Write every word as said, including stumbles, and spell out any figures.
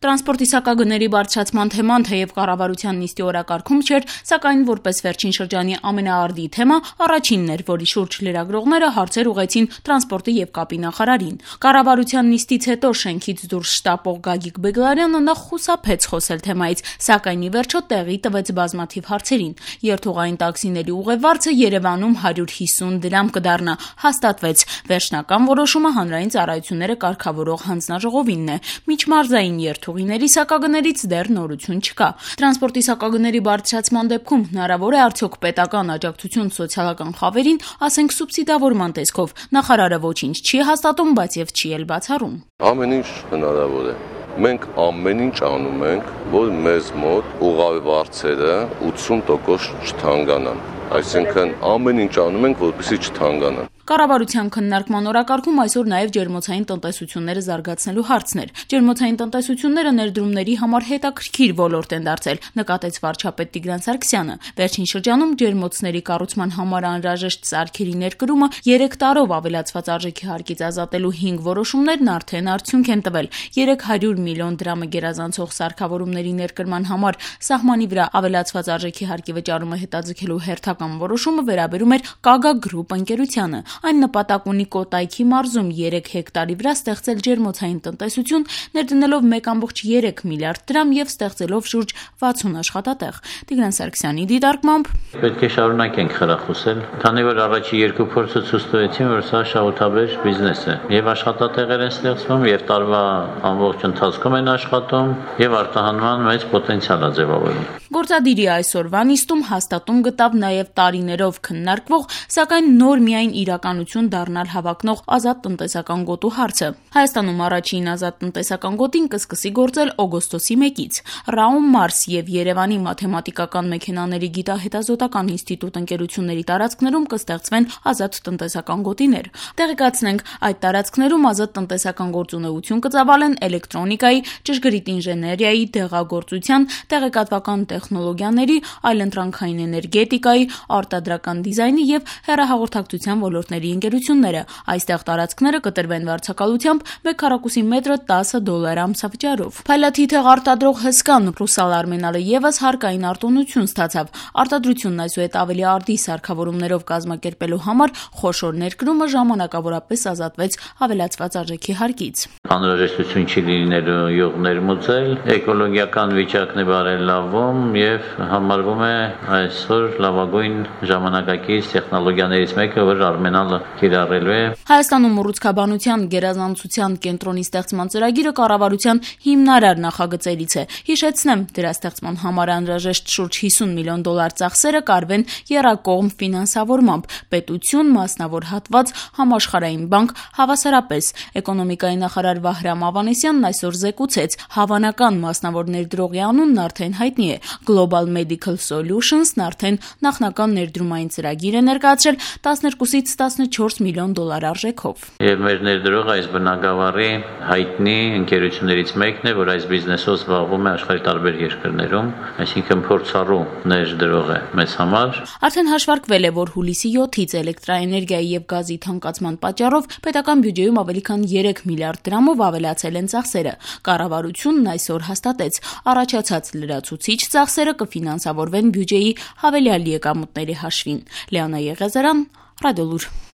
Տրանսպորտի սակագների բարձրացման թեման թեև կառավարության նիստի օրակարգում չէր, սակայն որպես վերջին շրջանի ամենաարդի թեմա առաջինն էր, որի շուրջ լրագրողները հարցեր ուղղեցին տրանսպորտի եւ կապի նախարարին։ Կառավարության նիստից հետո շենքից դուրս շտապող Գագիկ Բեգլարյանը նախ խուսափեց խոսել թեմայից, սակայն ի վերջո տեղի տվեց բազմաթիվ հարցերին։ Երթուղային տաքսիների ուղևորը Երևանում հարյուր հիսուն դրամ կդառնա, հաստատվեց։ Վերջնական որոշումը հանրային ծառայությունները կարգավորող հանձնաժողովինն է։ Միջմարզային երթուղիների սակագներից դեռ նորություն չկա։ Տրանսպորտի սակագների բարձրացման դեպքում հնարավոր է արդյոք պետական աջակցություն սոցիալական խավերին, ասենք սուբսիդավորման տեսքով։ Նախարարը ոչինչ չի հաստատում, բայց եւ չի էլ բացառում։ Ամեն ինչ հնարավոր է։ Մենք ամեն ինչ անում ենք, որ մեզ մոտ ուղղավարձերը ութսուն տոկոս չթանկանան։ Այսինքն ամեն ինչ անում ենք, որպեսզի չթանկանան։ Կառավարության քննարկման օրակարգում այսօր նաև ջերմոցային տնտեսությունները զարգացնելու հարցն էր։ Ջերմոցային տնտեսությունները ներդրումների համար հետաքրքիր ոլորտ են դարձել, նկատեց վարչապետ Տիգրան Սարգսյանը։ Վերջին շրջանում ջերմոցների կառուցման համար անհրաժեշտ սարքերի ներկրումը երեք տարով ավելացված արժեքի հարկից ազատելու հինգ որոշումներն արդեն արդյունք են տվել։ երեք հարյուր միլիոն դրամը գերազանցող սարքավորումների ներկրման համար սահմանի վրա ավելացված արժեքի հարկի վճարումը հետաձգելու հերթական որոշումը վերաբերում էր Կագա Գրուպ ընկերությանը։ Այն նպատակ ունի Կոտայքի մարզում երեք հեկտարի վրա ստեղծել ջերմոցային տնտեսություն, ներդնելով մեկ կόμma երեք միլիարդ դրամ եւ ստեղծելով շուրջ վաթսուն աշխատատեղ։ Տիգրան Սարգսյանի դիտարկմամբ պետք է շարունակենք խրախուսել, քանի որ առաջի երկու փորձը ցույց տվեցին, որ սա շահութաբեր բիզնես է եւ աշխատատեղեր են ստեղծվում եւ տարվա ամբողջ ընթացքում են աշխատում եւ արտահանման մեծ պոտենցիալ է ձևավորվում։ Գործադիրի այսօրվա նիստում հաստատում գտավ նաև տարիներով քննարկվող, սակայն նոր միայն իրականություն դառնալ հավակնող ազատ տնտեսական գոտու հարցը։ Հայաստանում առաջին ազատ տնտեսական գոտին կսկսի գործել օգոստոսի մեկից։ Raum Mars եւ Երևանի մաթեմատիկական մեքենաների գիտահետազոտական ինստիտուտ ընկերությունների տարածքներում կստեղծվեն ազատ տնտեսական գոտիներ։ Տեղեկացնենք, այդ տարածքներում ազատ տնտեսական գործունեություն կծավալեն էլեկտրոնիկայի, ճշգրիտ ինժեներիայի, դեղագործության, տեղեկատվական տեխնոլոգիաների, այլընտրանքային էներգետիկայի, արտադրական դիզայնի եւ հեռահաղորդակցության ոլորտների ընկերությունները։ Այստեղ տարածքները կտրվեն վարձակալությամբ մեկ քառակուսի մետրը տասը դոլար ամսավճարով։ Փայլաթիթեղ արտադրող հսկան Ռուսալ Արմենալը եւս հարկային արտոնություն ստացավ։ Արտադրությունն այսուհետ ավելի արդի սարքավորումներով կազմակերպելու համար խոշոր ներկրումը ժամանակավորապես ազատվեց ավելացված արժեքի հարկից։ Անհրաժեշտություն չի լինելու յուղ ներմուծել, էկոլոգիական վիճակն է բարելավում եւ համարվում է այսօր լավագույն ժամանակակից տեխնոլոգիաներից մեկը, որ Արմենալը կիրառելու է։ Հայաստանում ուռուցքաբանության գերազանցության կենտրոնի ստեղծման ծրագիրը կառավարության հիմնարար նախագծերից է։ Հիշեցնեմ, դրա ստեղծման համար անհրաժեշտ շուրջ հիսուն միլիոն դոլար ծախսերը կարվեն եռակողմ ֆինանսավորմամբ՝ պետություն, մասնավոր հատված, համաշխարհային բանկ, հավասարապես։ Էկոնոմիկայի նախարար Վահրամ Ավանեսյանն այսօր զեկուցեց, հավանական մասնավոր ներդրողի անունն արդեն հայտնի է։ Global Medical Solutions-ն արդեն նախնական ներդրումային ծրագիր է ներկայացրել տասներկուսից տասնչորս միլիոն դոլար արժեքով։ Եվ մեր ներդրողը այս բնակավարի հայտնի ընկերություններից մեկն է, որ այս բիզնեսով զբաղվում է աշխարհի տարբեր երկրներում, այսինքն փորձառու ներդրող է մեզ համար։ Արդեն հաշվարկվել է, որ հուլիսի յոթից էլեկտրաէներգիայի եւ գազի թանկացման պատճառով պետական բյուջեում ավելի քան երեք միլիարդ դրամով ավելացել են ծախսերը։ Կառավարությունն այսօր հաստատեց, առաջացած լրացուցիչ ծախսերը կֆինանսավորվեն բյուջեի հավելյալ եկամուտների հաշվին։ Լեոնա Եղիազարյան, Ռադիոլուր։